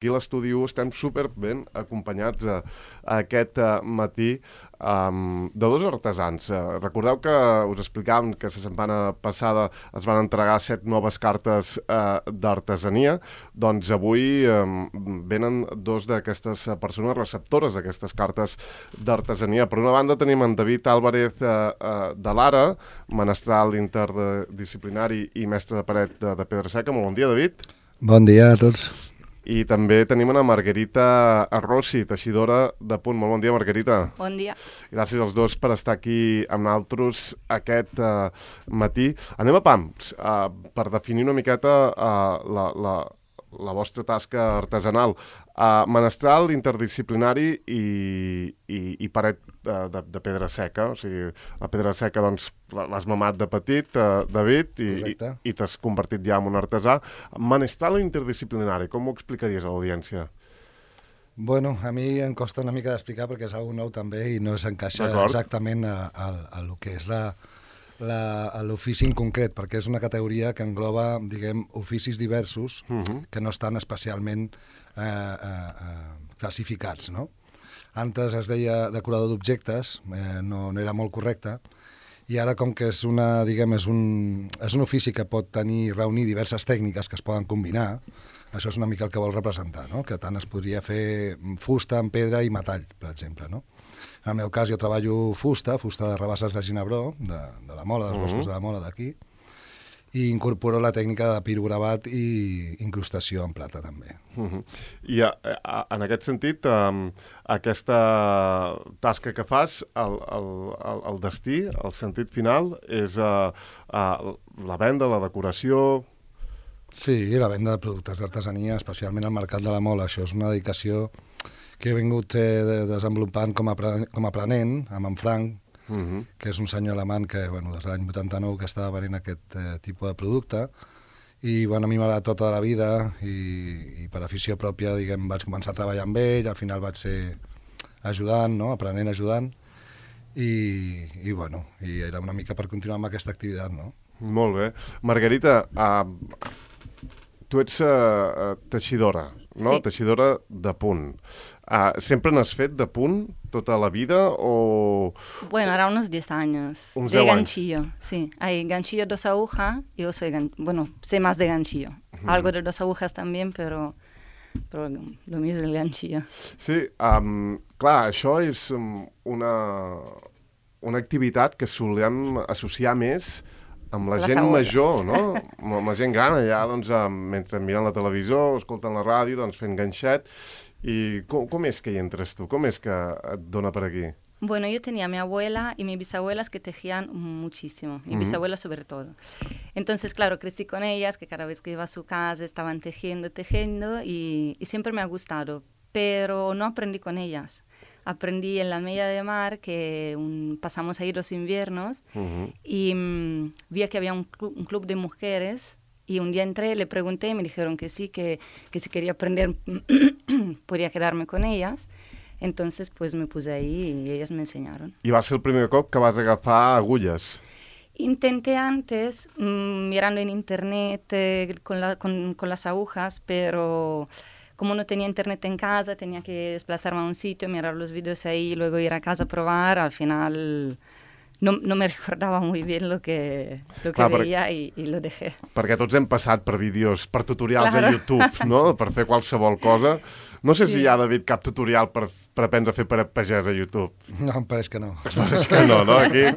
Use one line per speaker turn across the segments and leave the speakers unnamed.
Aquí a l'estudi 1 estem super ben acompanyats aquest matí de dos artesans. Recordeu que us explicàvem que la setmana passada es van entregar 7 noves cartes d'artesania. Doncs avui venen dos d'aquestes persones receptores d'aquestes cartes d'artesania. Per una banda tenim en David Álvarez de Lara, menestral interdisciplinari i mestre de paret de Pedra Seca. Molt bon dia, David.
Bon dia a tots.
I també tenim una Margarita Rossi, teixidora de punt. Molt bon dia, Margarita.
Bon dia.
Gràcies als dos per estar aquí amb nosaltres aquest matí. Anem a pams, per definir una miqueta la vostra tasca artesanal. Menestral, interdisciplinari i paret de pedra seca. O sigui, la pedra seca doncs, l'has mamat de petit, David, i t'has convertit ja en un artesà. Menestral interdisciplinari, com ho explicaries a l'audiència?
Bueno, a mi em costa una mica d'explicar perquè és alguna nou també i no s'encaixa exactament a lo que és l'ofici en concret, perquè és una categoria que engloba, diguem, oficis diversos que no estan especialment classificats, no? Antes es deia decorador d'objectes, no era molt correcte, i ara com que és una, diguem, és un ofici que pot reunir diverses tècniques que es poden combinar, això és una mica el que vol representar, no? Que tant es podria fer fusta, en pedra i metall, per exemple, no? En el meu cas jo treballo fusta de rabasses de ginebró, de la Mola, dels boscos de la Mola d'aquí, i incorporo la tècnica de pirogravat i incrustació en plata també.
I en aquest sentit, aquesta tasca que fas, el destí, el sentit final, és la venda, la decoració...
Sí, la venda de productes d'artesania, especialment al Mercat de la Mola. Això és una dedicació que he vingut desenvolupant com a aprenent, amb en Frank, que és un senyor alemany que, bueno, des de l'any 89 que estava venent aquest tipus de producte, i bueno, a mi m'ha agradat tota la vida i per afició pròpia, diguem, vaig començar a treballar amb ell, al final vaig ser ajudant, no? Aprenent, ajudant, i bueno, i era una mica per continuar amb aquesta activitat, no?
Molt bé. Margarita, tu ets teixidora, no?
Sí.
Teixidora de punt. ¿Siempre n'has fet de punt tota la vida o...?
Bueno, ahora unos 10 años.
Uns
de
10
ganchillo, sí. Hay ganchillo 2 agujas, yo soy, bueno, sé más de ganchillo. Algo de 2 agujas también, pero lo mío es el ganchillo.
Sí, clar, això és una activitat que solem associar més amb la gent major, no? Amb la gent gran, allà, doncs, mentre miren la televisió, escolten la ràdio, doncs, fent ganxet. I com és que hi entres tu? Com és que et dona per aquí?
Bueno, yo tenía a mi abuela y mis bisabuelas que tejían muchísimo, mi bisabuela sobre todo. Entonces, claro, crecí con ellas, que cada vez que iba a su casa estaban tejiendo y siempre me ha gustado, pero no aprendí con ellas. Aprendí en la Mella de Mar, que pasamos ahí los inviernos, y vi que había un club de mujeres. Y un día entré, le pregunté y me dijeron que sí, que si quería aprender podría quedarme con ellas. Entonces, pues me puse ahí y ellas me enseñaron.
I va ser el primer cop que vas agafar agulles?
Intenté antes, mirando en internet con las agujas, pero como no tenía internet en casa, tenía que desplazarme a un sitio, mirar los vídeos ahí y luego ir a casa a probar. Al final... No me recordava molt bé lo que veia i lo dejé.
Perquè tots hem passat per vídeos, per tutorials a YouTube, no? Per fer qualsevol cosa. No sé si hi ha, David, cap tutorial per aprendre a fer paret pagès a YouTube.
No, em pareix que no.
Em pareix que no, no? Aquí,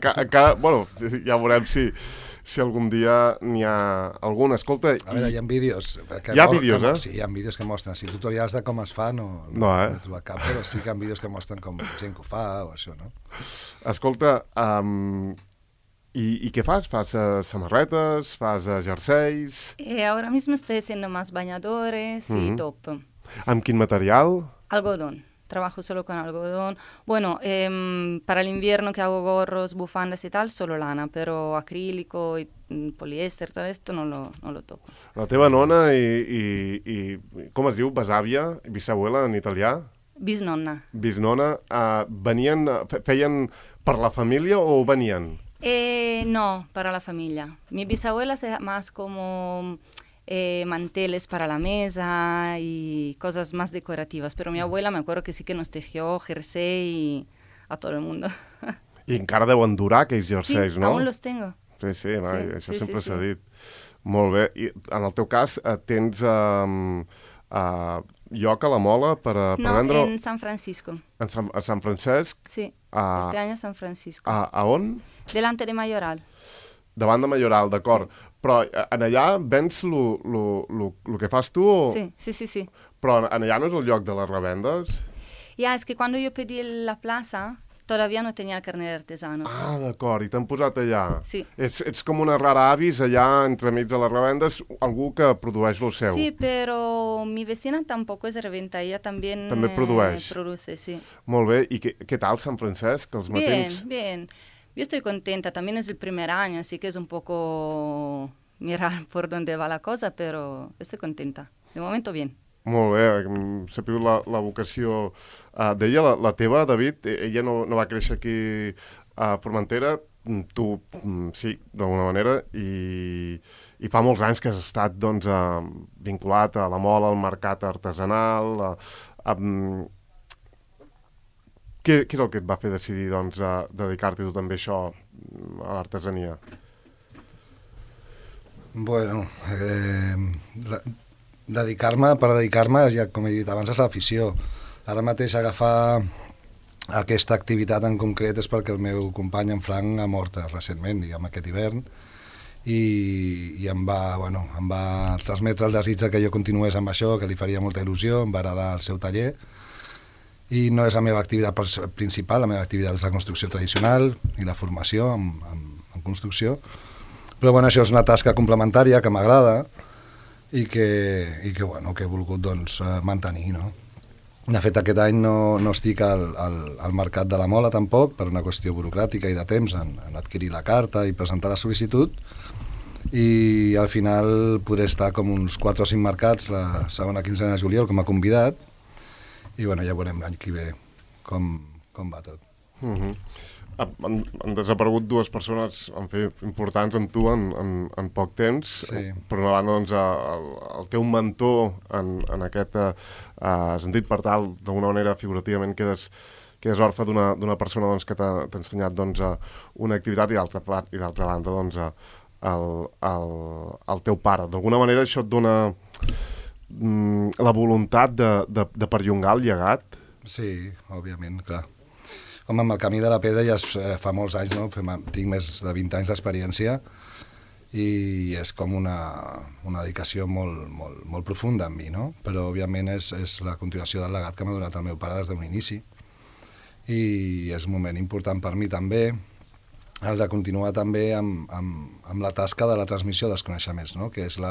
bueno, ja veurem si algun dia n'hi ha algun. Escolta...
A veure, hi ha vídeos.
Hi ha vídeos, eh?
Sí, hi ha vídeos que mostren. Si tutorials de com es fa, no he trobat cap, però sí que hi ha vídeos que mostren com gent que ho fa o això, no?
Escolta, ¿y qué fas? ¿Fas samarretes? ¿Fas jerseis?
Ahora mismo estoy haciendo más bañadores y top.
¿Amb quin material?
Algodón. Trabajo solo con algodón. Bueno, para el invierno que hago gorros, bufandas y tal, solo lana, pero acrílico y poliéster, todo esto no lo toco.
La teva nona i com es diu? Besàvia? Bisabuela en italià?
Bisnonna.
Bisnonna. Feien per la família o venien?
No, para la familia. Mi bisabuela es más como manteles para la mesa y cosas más decorativas. Pero mi abuela me acuerdo que sí que nos tejió jersey a todo el mundo.
I encara deuen durar aquells jerseis,
sí,
no?
aún los tengo.
Sí, això
sí,
sempre
sí,
s'ha
sí.
dit. Molt bé. I en el teu cas tens lloc a la Mola per
No,
vendre...
en San Francisco.
A Sant Francesc?
Sí,
A,
este año San Francisco.
a on?
Delante de Mayoral.
Davant de Mayoral, d'acord.
Sí.
Però en allà vens el que fas tu? O...
Sí.
Però en allà no és el lloc de les revendes?
Ya, es que cuando yo pedí la plaza, todavía no tenía el carnet de artesano.
Ah, d'acord, i t'han posat allà.
Sí.
Ets com una rara avis allà entremig de les revendes, algú que produeix lo seu.
Sí, pero mi vecina tampoco es de reventa, ella también
També produeix.
produce, sí.
Molt bé, i què tal Sant Francesc, els matins?
Bien. Yo estoy contenta, también es el primer año, así que es un poco mirar por dónde va la cosa, pero estoy contenta. De momento bien.
Molt bé, hem sabut la vocació d'ella, la teva, David. Ella no va créixer aquí a Formentera, tu sí, d'alguna manera, i fa molts anys que has estat doncs, vinculat a la Mola, al mercat artesanal. Què és el que et va fer decidir doncs, dedicar-te tu també a això, a l'artesania?
Bueno, dedicar-me, ja com he dit abans, és l'afició. Ara mateix agafar aquesta activitat en concret és perquè el meu company, en Frank, ha mort recentment, diguem, aquest hivern, i em va transmetre el desig que jo continués amb això, que li faria molta il·lusió, em va agradar el seu taller, i no és la meva activitat principal, la meva activitat és la construcció tradicional i la formació en construcció, però bueno, això és una tasca complementària que m'agrada i que he volgut doncs, mantenir, no? De fet, aquest any no estic al mercat de la Mola tampoc, per una qüestió burocràtica i de temps en adquirir la carta i presentar la sol·licitud, i al final podré estar com uns 4 o 5 mercats la segona quinzena de juliol com a convidat, i bueno, ja veurem l'any que ve com va tot.
Han desaparegut 2 persones importants amb tu en poc temps.
Sí.
Per una banda, doncs, el teu mentor en aquest sentit, per tal, d'alguna manera, figurativament, quedes orfe d'una persona doncs, que t'ha ensenyat doncs, una activitat, i d'altra banda doncs, el teu pare. D'alguna manera això et dona la voluntat de perllongar el llegat?
Sí, òbviament, clar. Home, amb el camí de la pedra ja fa molts anys, no? Tinc més de 20 anys d'experiència i és com una dedicació molt profunda en mi, no? Però òbviament és la continuació del legat que m'ha donat el meu pare des d'un inici, i és un moment important per mi també el de continuar també amb la tasca de la transmissió dels coneixements, no? Que és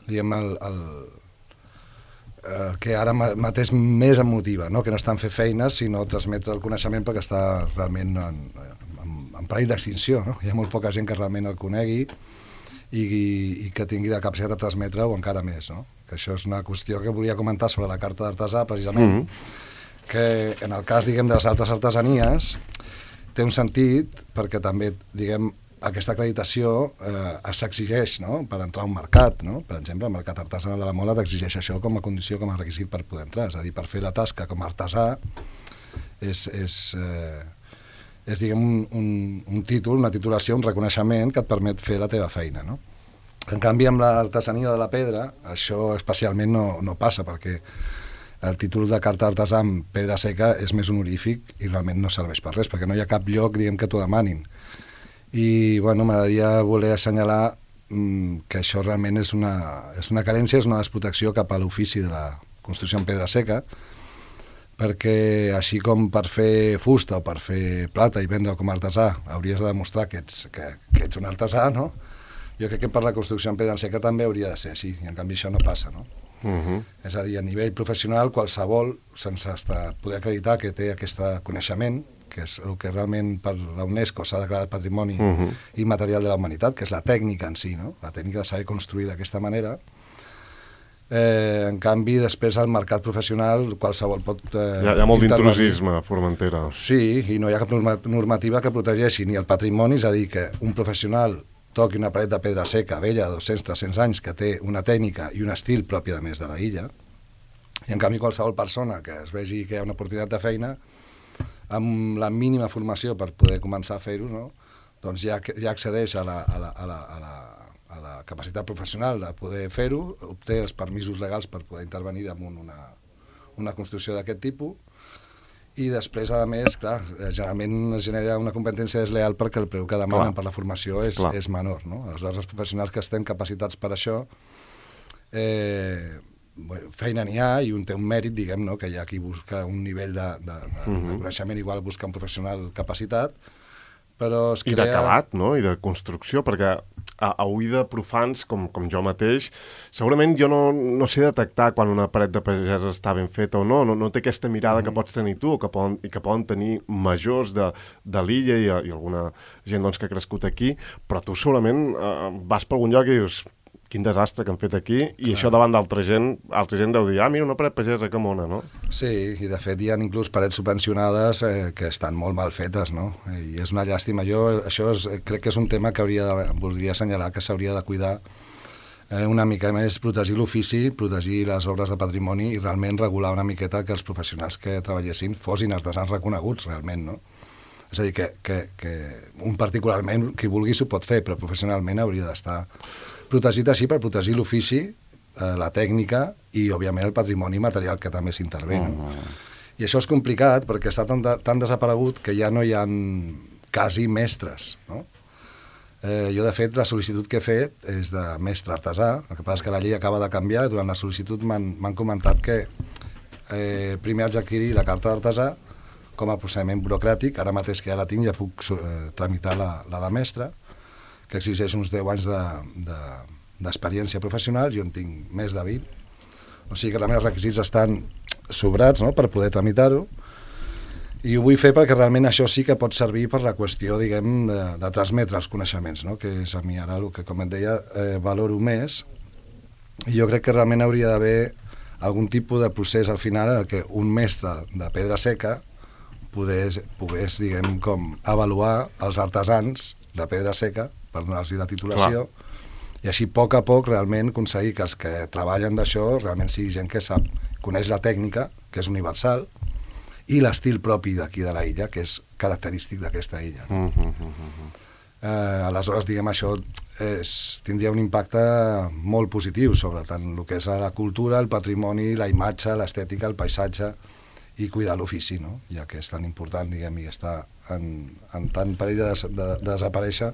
diguem, el que ara mateix més em motiva, no? Que no està en fer feines, sinó transmetre el coneixement, perquè està realment en perill d'extinció, no? Hi ha molt poca gent que realment el conegui i que tingui la capacitat de transmetre-ho encara més, no? Que això és una qüestió que volia comentar sobre la carta d'artesà, precisament, que en el cas, diguem, de les altres artesanies té un sentit perquè també, diguem, aquesta acreditació s'exigeix, no? Per entrar a un mercat, no? Per exemple, el mercat artesanal de la Mola t'exigeix això com a condició, com a requisit per poder entrar. És a dir, per fer la tasca com a artesà és diguem, un títol, una titulació, un reconeixement que et permet fer la teva feina, no? En canvi, amb l'artesania de la pedra, això especialment no passa, perquè el títol de carta d'artesà amb pedra seca és més honorífic i realment no serveix per res, perquè no hi ha cap lloc, diguem, que t'ho demanin. I bueno, m'agradaria voler assenyalar que això realment és una carència, és una desprotecció cap a l'ofici de la construcció en pedra seca, perquè així com per fer fusta o per fer plata i vendre com a artesà hauries de demostrar que ets un artesà, no? Jo crec que per la construcció en pedra seca també hauria de ser així, i en canvi això no passa, no? És a dir, a nivell professional, qualsevol, sense poder acreditar que té aquest coneixement, que és el que realment per la UNESCO s'ha declarat patrimoni immaterial de la humanitat, que és la tècnica en si, no? La tècnica de saber construir d'aquesta manera. En canvi, després al mercat professional qualsevol pot...
Hi ha molt d'intrusisme a Formentera.
Sí, i no hi ha cap normativa que protegeixi ni el patrimoni, és a dir, que un professional toqui una paret de pedra seca, vella, de 200-300 anys, que té una tècnica i un estil propi de més de la illa, i en canvi qualsevol persona que es vegi que hi ha una oportunitat de feina, amb la mínima formació per poder començar a fer-ho, no? Doncs ja accedeix a la capacitat professional de poder fer-ho, obté els permisos legals per poder intervenir damunt una construcció d'aquest tipus, i després, a més, clar, generalment es genera una competència desleal perquè el preu que demanen per la formació és menor, no? Aleshores, els professionals que estem capacitats per això, feina n'hi ha i té un mèrit, diguem, no? Que hi ha qui busca un nivell de coneixement, igual busca un professional capacitat, però es crea...
I d'acabat, no? I de construcció, perquè a ull de profans, com jo mateix, segurament jo no sé detectar quan una paret de pagès està ben feta o no té aquesta mirada que pots tenir tu, i que poden tenir majors de l'illa i alguna gent doncs, que ha crescut aquí, però tu segurament vas per algun lloc i dius... Quin desastre que han fet aquí, i això davant d'altra gent deu dir, mira, una paret pagesa, que mona, no?
Sí, i de fet hi ha inclús parets subvencionades que estan molt mal fetes, no? I és una llàstima. Crec que és un tema que voldria assenyalar que s'hauria de cuidar una mica més, protegir l'ofici, protegir les obres de patrimoni i realment regular una miqueta que els professionals que treballessin fossin artesans reconeguts, realment, no? És a dir, que un particularment, qui vulgui s'ho pot fer, però professionalment hauria d'estar protegit així per protegir l'ofici, la tècnica i, òbviament, el patrimoni material que també s'intervé. No? I això és complicat perquè està tan desaparegut que ja no hi ha quasi mestres. No? Jo, de fet, la sol·licitud que he fet és de mestre artesà, el que passa és que la llei acaba de canviar i durant la sol·licitud m'han comentat que primer haig d'adquirir la carta d'artesà com a procediment burocràtic, ara mateix que ja la tinc ja puc tramitar la de mestre, que exigeix uns 10 anys d'experiència professional, jo en tinc més de 20. O sigui que els meus requisits estan sobrats, no?, per poder tramitar-ho, i ho vull fer perquè realment això sí que pot servir per la qüestió, diguem, de transmetre els coneixements, no?, que és a mi ara el que, com et deia, valoro més, i jo crec que realment hauria d'haver algun tipus de procés al final en què un mestre de pedra seca pogués, diguem, com avaluar els artesans de pedra seca per donar-los la titulació. Clar. I així, a poc realment aconseguir que els que treballen d'això realment sigui gent que coneix la tècnica, que és universal, i l'estil propi d'aquí de la illa, que és característic d'aquesta illa. Aleshores, diguem, això tindria un impacte molt positiu sobre tant el que és la cultura, el patrimoni, la imatge, l'estètica, el paisatge, i cuidar l'ofici, no? Ja que és tan important, diguem, i està en tan perill de desaparèixer,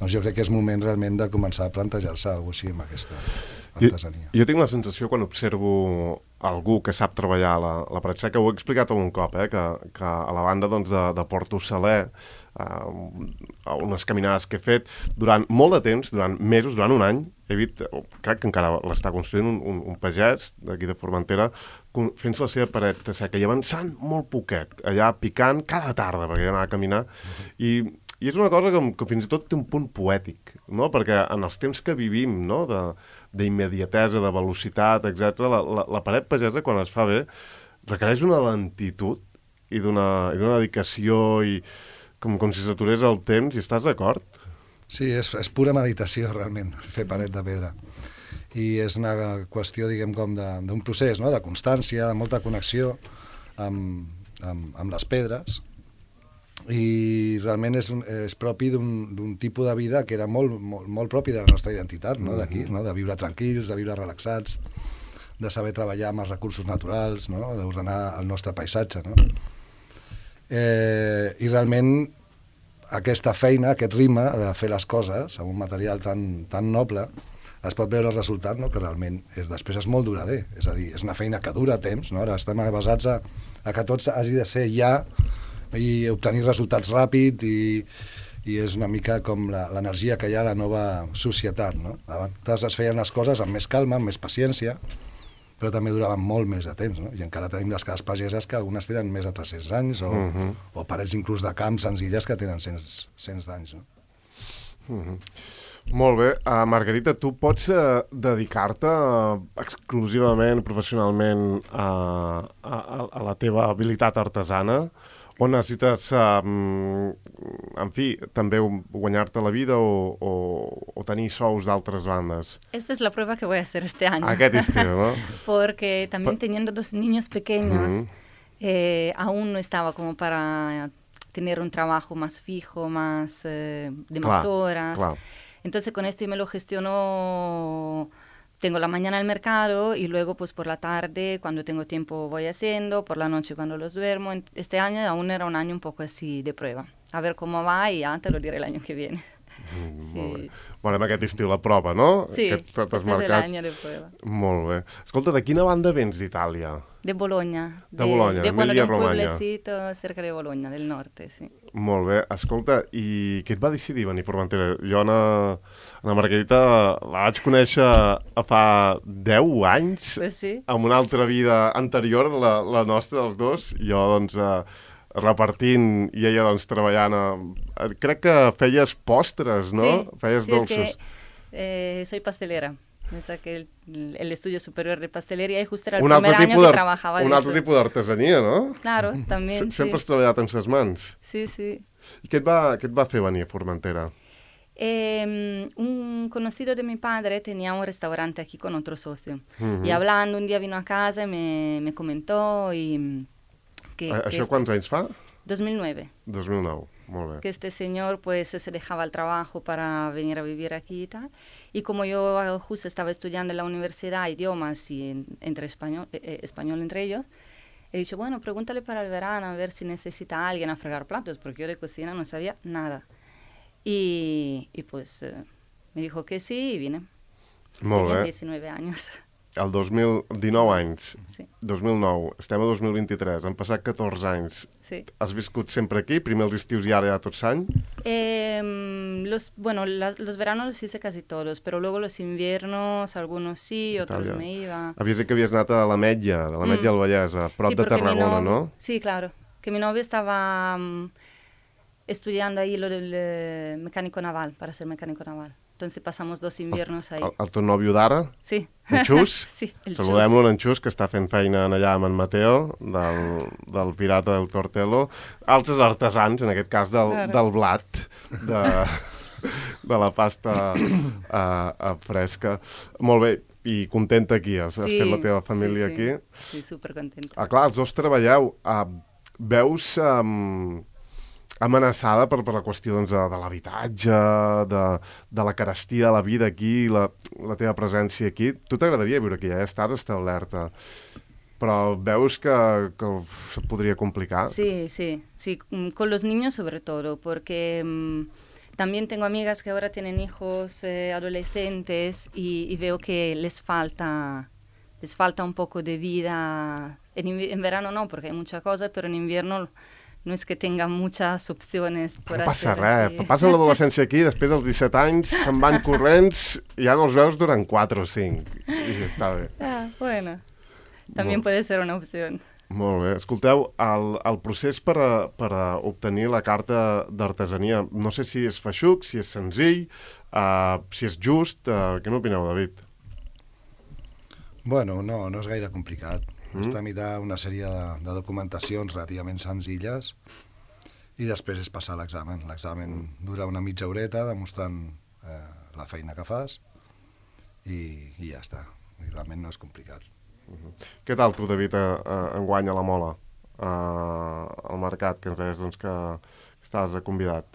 doncs jo crec que és moment realment de començar a plantejar-se alguna cosa així amb aquesta artesania.
Jo tinc la sensació, quan observo algú que sap treballar la paret seca, ho he explicat algun cop, que a la banda doncs, de Porto Saler, unes caminades que he fet durant molt de temps, durant mesos, durant un any, he vist, crec que encara l'està construint un pagès d'aquí de Formentera, fent-se la seva paret seca i avançant molt poquet, allà picant cada tarda, perquè ja anava a caminar, i és una cosa que fins i tot té un punt poètic, no? Perquè en els temps que vivim, no? D'immediatesa, de velocitat, etc., la paret pagesa, quan es fa bé, requereix una lentitud i d'una dedicació i com si s'aturés el temps, i estàs d'acord?
Sí, és pura meditació, realment, fer paret de pedra. I és una qüestió, diguem, com d'un procés, no?, de constància, de molta connexió amb les pedres, i realment és propi d'un tipus de vida que era molt propi de la nostra identitat, no?, d'aquí, no?, de viure tranquils, de viure relaxats, de saber treballar amb els recursos naturals, no?, d'ordenar el nostre paisatge, no? I realment aquesta feina, aquest ritme de fer les coses amb un material tan noble, es pot veure el resultat, no?, que realment després és molt durader, és a dir, és una feina que dura temps, no? Ara estem basats a que tot hagi de ser ja i obtenir resultats ràpid, i és una mica com l'energia que hi ha a la nova societat, no? Abans es feien les coses amb més calma, amb més paciència, però també duraven molt més de temps, no? I encara tenim les cases pageses que algunes tenen més de 300 anys, o parets inclús de camps senzilles que tenen 100 d'anys, no?
Molt bé. Margarita, tu pots dedicar-te exclusivament, professionalment, a la teva habilitat artesana? O necessites, en fi, també guanyar-te la vida o tenir sous d'altres bandes?
Esta es la prueba que voy a hacer este año.
Aquest estiu, ¿no?
Porque también teniendo dos niños pequeños, aún no estaba como para tener un trabajo más fijo, más de más horas.
Claro.
Entonces con esto yo me lo gestiono. Tengo la mañana el mercado y luego pues por la tarde cuando tengo tiempo voy haciendo, por la noche cuando los duermo. Este año aún era un año un poco así de prueba. A ver cómo va y ya te lo diré el año que viene.
Sí. Molt bé, aquest estiu la prova, no?
Sí, este és l'any de prova.
Molt bé. Escolta, de quina banda vens d'Itàlia?
De Bologna.
De Bologna,
Emilia-Romagna. De un pueblecito cerca de Bologna, del norte, sí.
Molt bé. Escolta, i què et va decidir venir a Formentera? Jo, Ana Margarita, la vaig conèixer fa 10 anys,
pues sí.
En una altra vida anterior, la nostra, dels dos. Jo, doncs, repartint i ella, doncs, treballant. Crec que feies postres, no?
Sí,
feies dolços.
Es que soy pastelera. Me saqué el estudio superior de pastelería y justo era el primer año que trabajaba de
un altre tipus d'artesania, no?
Claro, también,
Sempre has treballat amb ses mans.
Sí, sí.
I què et va fer venir a Formentera?
Un conocido de mi padre tenía un restaurante aquí con otro socio. Y hablando, un día vino a casa y me comentó y...
¿Això quants anys fa?
2009.
2009, molt bé.
Que este señor pues se dejaba el trabajo para venir a vivir aquí y tal. Y como yo justo estaba estudiando en la universidad idiomas y entre español entre ellos, he dicho, bueno, pregúntale para el verano a ver si necesita a alguien a fregar platos, porque yo de cocina no sabía nada. Y pues me dijo que sí y vine.
Molt
Tenía
bé.
19 años.
El 2019 anys.
Sí.
2009. Estem a 2023. Han passat 14 anys.
Sí.
Has viscut sempre aquí? Primer els estius i ara ja tot l'any?
Los veranos los hice casi todos, pero luego los inviernos, algunos sí, otros me iba.
Havies dit que havies anat a l'Ametlla, de l'Ametlla del Vallès, a prop de Tarragona, ¿no?
Sí, claro. Que mi novio estaba estudiando ahí lo del mecánico naval, para ser mecánico naval. Entonces pasamos 2 inviernos ahí.
El teu nòvio d'ara?
Sí.
En Xus?
Sí, el
Saludem-lo, en Xus, que està fent feina allà amb en Mateo, del Pirata del Tortello. Altres artesans, en aquest cas del blat, de la pasta fresca. Molt bé, i contenta aquí, has fet la teva família aquí.
Sí, supercontenta.
Clar, els dos treballeu. Veus amenaçada per la qüestió doncs, de l'habitatge, de la carestia de la vida aquí, la teva presència aquí. Tu t'agradaria viure aquí, ja estàs establerta, però veus que se podria complicar?
Sí, con los niños sobre todo, porque también tengo amigas que ahora tienen hijos adolescentes y veo que les falta un poco de vida. En verano no, porque hay mucha cosa, pero en invierno... No és que tinga muchas opciones per
no passa res, passen l'adolescència aquí, després als 17 anys se'n van corrents i ja no els veus durant 4 o 5. I està bé.
Bueno, també puede ser una opció.
Molt bé. Escolteu, el procés per obtenir la carta d'artesania, no sé si és feixuc, si és senzill, si és just. Què n'opineu, David?
Bueno, no és gaire complicat. És tramitar una sèrie de documentacions relativament senzilles i després és passar l'examen. L'examen dura una mitja horeta demostrant la feina que fas i ja està. I realment no és complicat.
Què tal tu, David, enguany a la Mola, al mercat, que ens deies doncs, que estaves convidat?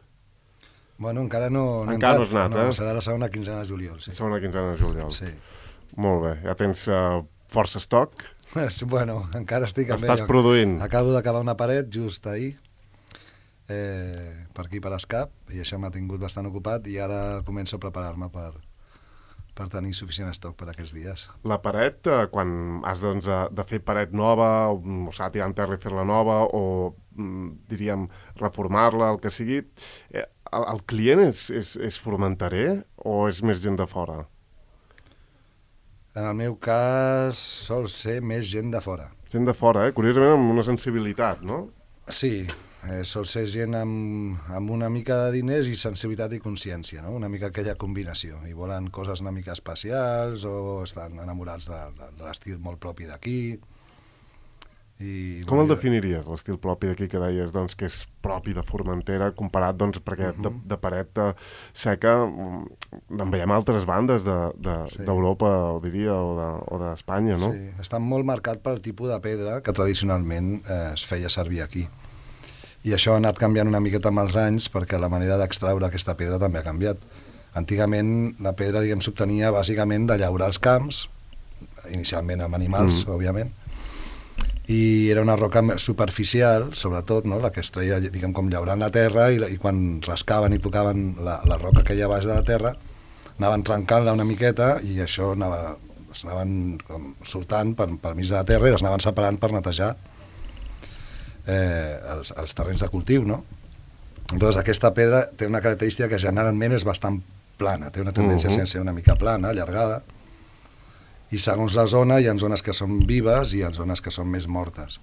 Bueno, encara no he
encara
entrat.
No has anat,
serà la segona quinzena de juliol. Sí.
Segona quinzena de juliol.
Sí.
Molt bé. Ja tens força estoc?
Bueno, encara estic amb
Estàs produint.
Acabo d'acabar una paret just ahir, per aquí per Escap, i això m'ha tingut bastant ocupat i ara començo a preparar-me per tenir suficient estoc per aquests dies.
La paret, quan has doncs, de fer paret nova, o s'ha de tirar en terra i fer-la nova, o diríem reformar-la, el que sigui, el client és formenterer o és més gent de fora?
En el meu cas sol ser més gent de fora.
Gent de fora, curiosament amb una sensibilitat, no?
Sí, sol ser gent amb una mica de diners i sensibilitat i consciència, no? Una mica aquella combinació. I volen coses una mica especials o estan enamorats de l'estil molt propi d'aquí.
Com el definiries, l'estil propi d'aquí, que deies doncs, que és propi de Formentera, comparat, doncs, perquè de paret seca en veiem altres bandes d'Europa, ho diria, o d'Espanya, no?
Sí, està molt marcat pel tipus de pedra que tradicionalment es feia servir aquí. I això ha anat canviant una miqueta amb els anys perquè la manera d'extraure aquesta pedra també ha canviat. Antigament la pedra, diguem, s'obtenia bàsicament de llaurar els camps, inicialment amb animals, òbviament, i era una roca superficial, sobretot, no? La que es treia, diguem, com llaurant la terra i quan rascaven i tocaven la roca que hi ha baix de la terra, anaven trencant-la una miqueta i això es anaven com sortant per mig de la terra i les anaven separant per netejar els terrenys de cultiu, no? Llavors aquesta pedra té una característica que generalment és bastant plana, té una tendència a ser una mica plana, allargada, i segons la zona hi ha zones que són vives i hi ha zones que són més mortes.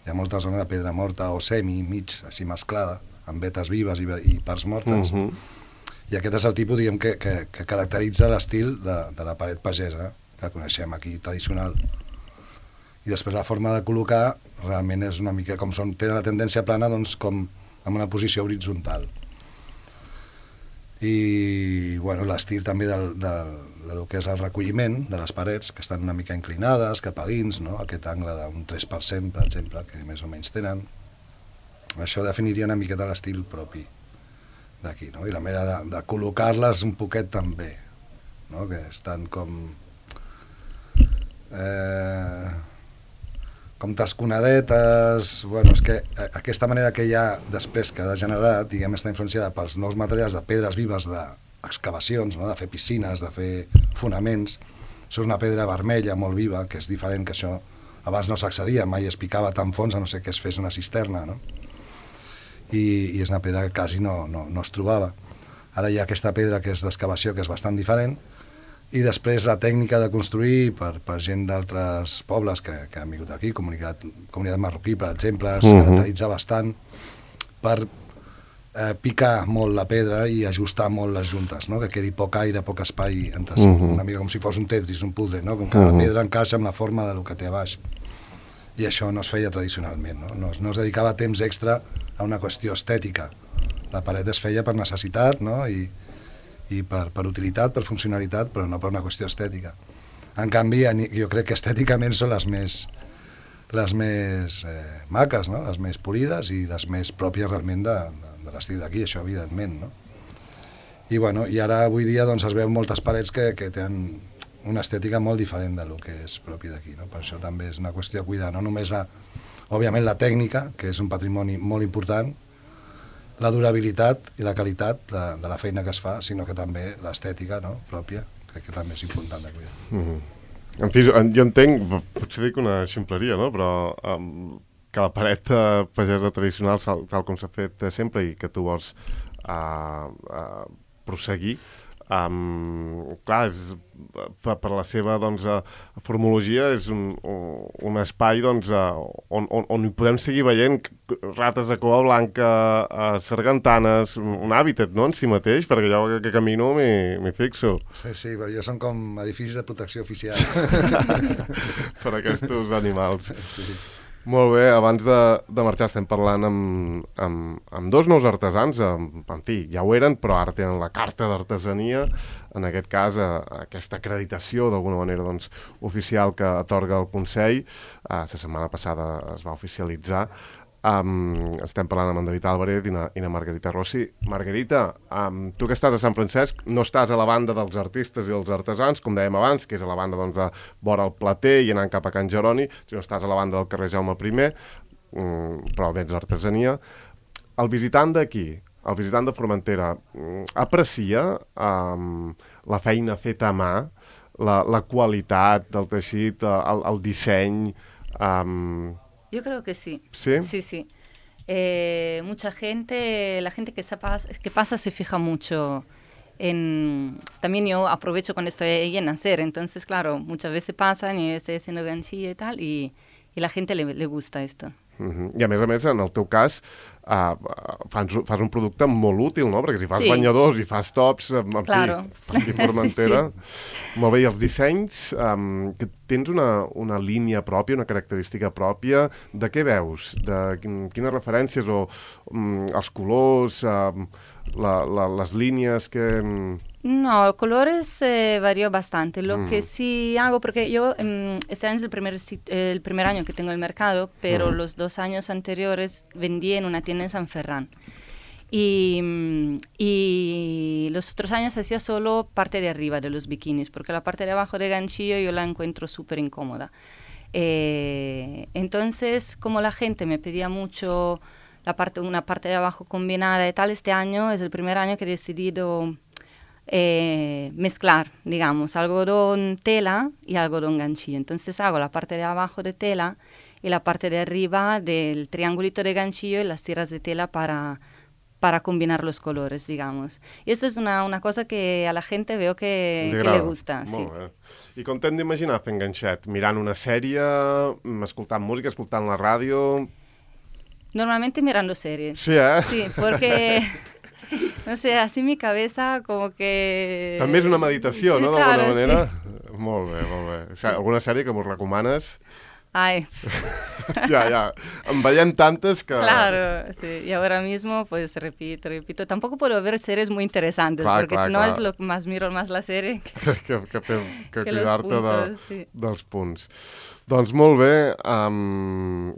Hi ha molta zona de pedra morta o semi, mig, així mesclada, amb vetes vives i parts mortes. I aquest és el tipus, diguem, que caracteritza l'estil de la paret pagesa, que coneixem aquí, tradicional. I després la forma de col·locar realment és una mica com tenen la tendència plana, doncs com en una posició horitzontal. I bueno, l'estil també del que és el recolliment de les parets, que estan una mica inclinades cap a dins, no? Aquest angle d'un 3%, per exemple, que més o menys tenen. Això definiria una miqueta l'estil propi d'aquí, no? I la manera de col·locar-les un poquet també, no? Que estan com tasconadetes. Bueno, és que aquesta manera que hi ha després que ha degenerat, diguem, està influenciada pels nous materials de pedres vives d'excavacions, no? De fer piscines, de fer fonaments. Això és una pedra vermella molt viva, que és diferent, que això abans no s'accedia, mai es picava tan fons, a no ser que es fes una cisterna, no? I és una pedra que quasi no es trobava. Ara hi ha aquesta pedra que és d'excavació, que és bastant diferent, i després la tècnica de construir per gent d'altres pobles que han vingut aquí, comunitat marroquí, per exemple, es caracteritza bastant per picar molt la pedra i ajustar molt les juntes, no? Que quedi poc aire, poc espai entre si, una mica com si fos un Tetris, un puzzle, no? Com que la pedra encaixa amb la forma del que té a baix. I això no es feia tradicionalment, no es dedicava temps extra a una qüestió estètica. La paret es feia per necessitat, no? I per utilitat, per funcionalitat, però no per una qüestió estètica. En canvi, jo crec que estèticament són les més maques, no? Les més polides i les més pròpies realment de l'estil d'aquí, això evidentment, no? I bueno, i ara avui dia doncs, es veuen moltes parets que tenen una estètica molt diferent del que és propi d'aquí, no? Per això també és una qüestió a cuidar, no només òbviament la tècnica, que és un patrimoni molt important, la durabilitat i la qualitat de la feina que es fa, sinó que també l'estètica, no? Pròpia, crec que també és important de cuidar.
En fi, jo entenc, potser dic una ximpleria, no? Però que la paret pagesa tradicional, tal com s'ha fet sempre i que tu vols prosseguir, clar, per la seva doncs, formologia és un espai doncs, on hi podem seguir veient rates de cua blanca, sargantanes, un hàbitat, no?, en si mateix, perquè jo que camino m'hi fixo.
Sí, però jo són com edificis de protecció oficial.
Per aquests animals. Sí. Molt bé, abans de marxar estem parlant amb dos nous artesans, en fi, ja ho eren, però ara tenen la carta d'artesania, en aquest cas aquesta acreditació d'alguna manera doncs, oficial que atorga el Consell. La setmana passada es va oficialitzar. Estem parlant amb en David Álvarez i na Margarita Rossi. Margarita, tu que estàs a Sant Francesc no estàs a la banda dels artistes i els artesans, com dèiem abans, que és a la banda doncs, de vora el Plater i anant cap a Can Jeroni, sinó estàs a la banda del carrer Jaume I, però vens l'artesania. El visitant d'aquí, el visitant de Formentera, aprecia la feina feta a mà, la qualitat del teixit, el disseny...
Yo creo que sí.
¿Sí?
Sí. Mucha gente, la gente que pasa se fija mucho en... También yo aprovecho cuando estoy ahí en hacer, entonces, claro, muchas veces pasan y estoy haciendo ganchilla y tal, y la gente le gusta esto.
I a més, en el teu cas, fas un producte molt útil, no? Perquè si fas banyadors i fas tops, aquí Formentera... Molt bé, i els dissenys, que tens una línia pròpia, una característica pròpia, de què veus? De quines referències o els colors, les líneas que...
No, colores varió bastante. Lo que sí hago, porque yo este año es el primer año que tengo el mercado, pero los 2 años anteriores vendí en una tienda en San Ferran. Y los otros años hacía solo parte de arriba de los bikinis, porque la parte de abajo de ganchillo yo la encuentro súper incómoda. Entonces, como la gente me pedía mucho una parte de abajo combinada y tal, este año es el primer año que he decidido... mezclar, digamos, algodón tela y algodón ganchillo. Entonces hago la parte de abajo de tela y la parte de arriba del triangulito de ganchillo y las tiras de tela para combinar los colores, digamos. Y esto es una cosa que a la gente veo que le gusta.
Molt bé. I com t'hem d'imaginar fent ganxet? Mirant una sèrie, escoltant música, escoltant la ràdio...
Normalmente mirando series.
Sí, eh?
Sí, porque... No sé, así mi cabeza como que...
També és una meditació,
sí,
no?
Claro,
d'alguna manera?
Sí.
Molt bé, molt bé. O sigui, alguna sèrie que m'ho recomanes?
Ay.
Ya. En veiem tantes que...
Claro, sí. Y ahora mismo, pues, repito. Tampoco puedo ver series muy interesantes, porque si no es lo que más miro más la serie
que cuidar-te dels punts. Doncs molt bé,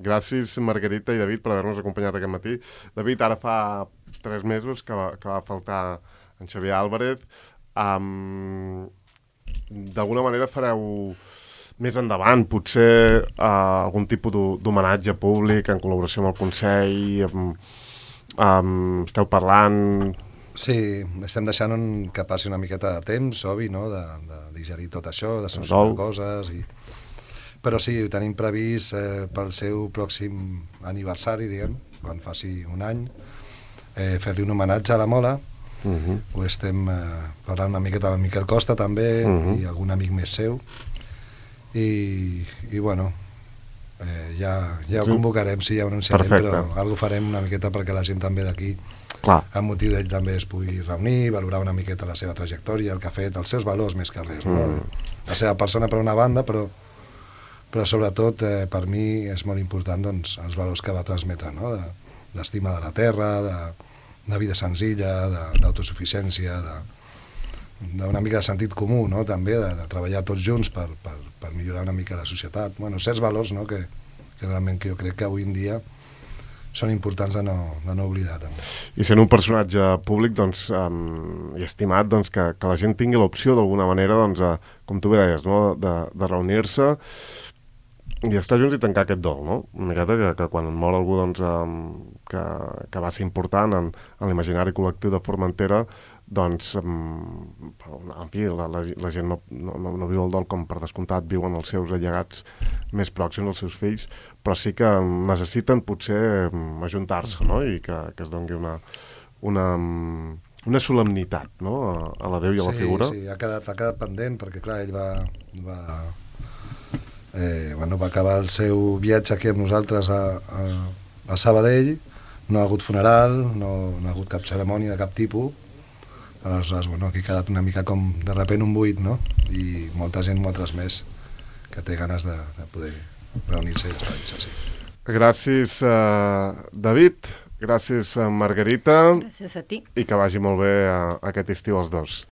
gràcies Margarita i David per haver-nos acompanyat aquest matí. David, ara fa 3 mesos que va faltar en Xavier Álvarez. D'alguna manera fareu més endavant, potser algun tipus d'homenatge públic en col·laboració amb el Consell, esteu parlant...
Sí, estem deixant que passi una miqueta de temps, obvi, no?, de digerir tot això, de solucionar coses, però sí, ho tenim previst pel seu pròxim aniversari, diguem, quan faci un any, fer-li un homenatge a la Mola. Ho estem parlant una miqueta amb Miquel Costa també i algun amic més seu i bueno, ja ho convocarem, sí, ja ho anunciarem, però alguna farem una miqueta perquè la gent també d'aquí, el motiu d'ell també es pugui reunir, valorar una miqueta la seva trajectòria, el que ha fet, els seus valors més que res, no? La seva persona per una banda, però sobretot per mi és molt important doncs, els valors que va transmetre, no? D'estima de la terra, de vida senzilla, d'autosuficiència, d'una mica de sentit comú, no? També, de treballar tots junts per millorar una mica la societat. Bueno, certs valors, no? que realment jo crec que avui en dia són importants de no oblidar. També.
I sent un personatge públic doncs, i estimat, doncs, que la gent tingui l'opció d'alguna manera, doncs, com tu bé deies, no? de reunir-se i estar junts i tancar aquest dol, no? Una miqueta que quan mor algú doncs, que va ser important en l'imaginari col·lectiu de Formentera, doncs, en fi, la gent no viu el dol com per descomptat, viuen els seus allegats més pròxims, els seus fills, però sí que necessiten potser ajuntar-se, no? I que es doni una solemnitat, no? A la Déu i a la figura.
Sí, ha quedat pendent, perquè clar, ell va acabar el seu viatge aquí amb nosaltres a Sabadell, no ha hagut funeral, no ha hagut cap cerimònia de cap tipus, aleshores, bueno, aquí ha quedat una mica com de repent un buit, no? I molta gent m'ho ha transmès, que té ganes de poder reunir-se i despedir-se, sí.
Gràcies, David, gràcies, Margarita.
Gràcies a ti.
I que vagi molt bé aquest estiu els dos.